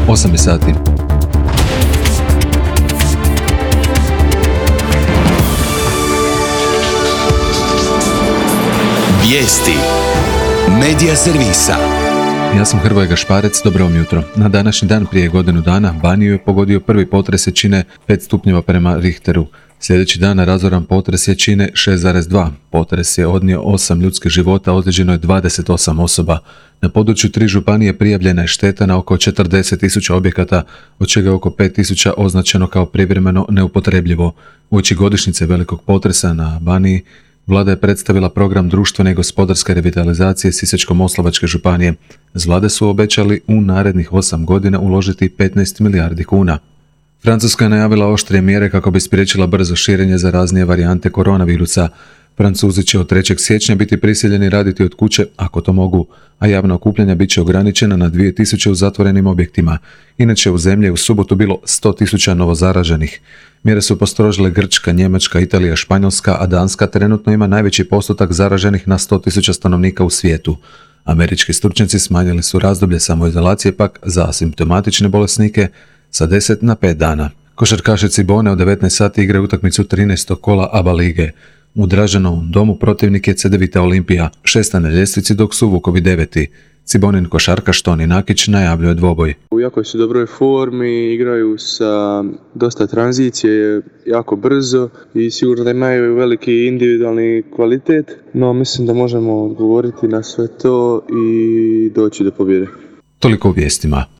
8 je sati. Vijesti Medija servisa. Ja sam Hrvoje Gašparec, dobro vam jutro. Na današnji dan prije godinu dana Baniju je pogodio prvi potres jačine 5 stupnjeva prema Richteru. Sljedeći dan razoran potres jačine 6,2. Potres je odnio 8 ljudskih života, ozlijeđeno je 28 osoba. Na području 3 županije prijavljena je šteta na oko 40.000 objekata, od čega je oko 5.000 označeno kao privremeno neupotrebljivo. Uoči godišnjice velikog potresa na Baniji, Vlada je predstavila program društvene i gospodarske revitalizacije Sisačko-moslavačke županije. Z vlade su obećali u narednih 8 godina uložiti 15 milijardi kuna. Francuska je najavila oštrije mjere kako bi spriječila brzo širenje zaraznije varijante koronavirusa. Francuzi će od 3. siječnja biti prisiljeni raditi od kuće, ako to mogu, a javna okupljanja bit će ograničena na 2000 u zatvorenim objektima. Inače u zemlji je u subotu bilo 100.000 novozaraženih. Mjere su postrožile Grčka, Njemačka, Italija, Španjolska, a Danska trenutno ima najveći postotak zaraženih na 100.000 stanovnika u svijetu. Američki stručnjaci smanjili su razdoblje samoizolacije pak za asimptomatične bolesnike sa 10 na 5 dana. Košarkaši Cibone u 19 sati igraju utakmicu 13. kola ABA lige. U Dražanovom domu protivnik je Cedevita Olimpija, 6. na ljestvici dok su Vukovi 9. Cibonin košarkaš Toni Nakić najavljuje dvoboj. U jakoj su dobroj formi, igraju sa dosta tranzicije, jako brzo i sigurno da imaju veliki individualni kvalitet, no mislim da možemo odgovoriti na sve to i doći do pobjede. Toliko u vijestima.